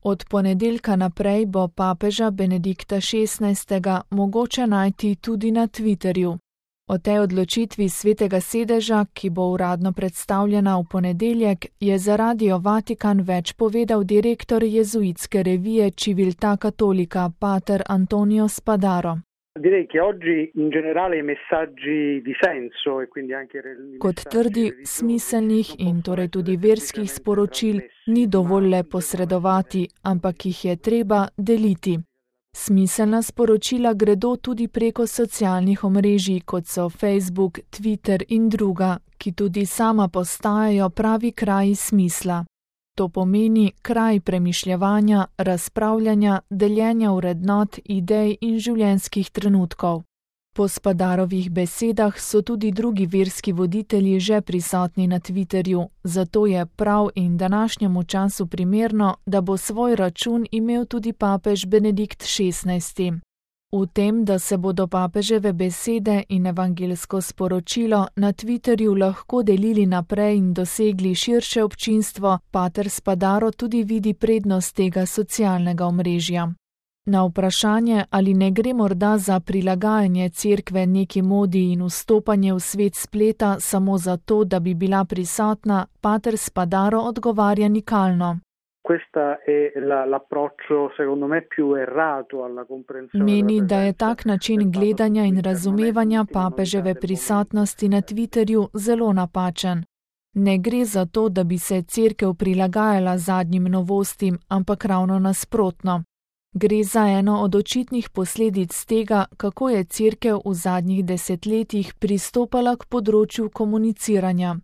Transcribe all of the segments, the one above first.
Od ponedeljka naprej bo papeža Benedikta XVI. Mogoče najti tudi na Twitterju. O tej odločitvi Svetega sedeža, ki bo uradno predstavljena v ponedeljek, je za Radio Vatikan več povedal direktor jezuitske revije Civiltà Cattolica, pater Antonio Spadaro. Kot trdi, smiselnih in torej tudi verskih sporočil ni dovolj le posredovati, ampak jih je treba deliti. Smiselna sporočila gredo tudi preko socialnih omrežij, kot so Facebook, Twitter in druga, ki tudi sama postajajo pravi kraji smisla. To pomeni kraj premišljevanja, razpravljanja, deljenja vrednot, idej in življenjskih trenutkov. Po Spadarovih besedah so tudi drugi verski voditelji že prisotni na Twitterju, zato je prav in današnjemu času primerno, da bo svoj račun imel tudi papež Benedikt XVI. V tem, da se bodo papeževe besede in evangeljsko sporočilo na Twitterju lahko delili naprej in dosegli širše občinstvo, pater Spadaro tudi vidi prednost tega socialnega omrežja. Na vprašanje, ali ne gre morda za prilagajanje cerkve neki modi in vstopanje v svet spleta samo zato, da bi bila prisotna, pater Spadaro odgovarja nikalno. Meni, da je tak način gledanja in razumevanja papeževe prisotnosti na Twitterju zelo napačen. Ne gre za to, da bi se cerkev prilagajala zadnjim novostim, ampak ravno nasprotno. Gre za eno od očitnih posledic tega, kako je cerkev v zadnjih desetletjih pristopala k področju komuniciranja.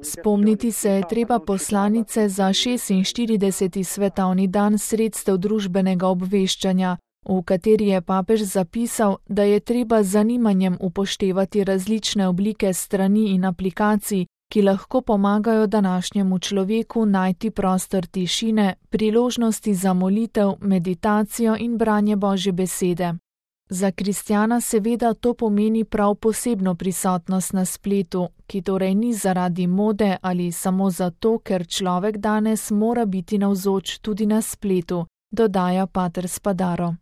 Spomniti se je treba poslanice za 46. svetovni dan sredstev družbenega obveščanja, v kateri je papež zapisal, da je treba z zanimanjem upoštevati različne oblike strani in aplikacij, ki lahko pomagajo današnjemu človeku najti prostor tišine, priložnosti za molitev, meditacijo in branje Božje besede. Za kristjana seveda to pomeni prav posebno prisotnost na spletu, ki torej ni zaradi mode ali samo zato, ker človek danes mora biti navzoč tudi na spletu, dodaja pater Spadaro.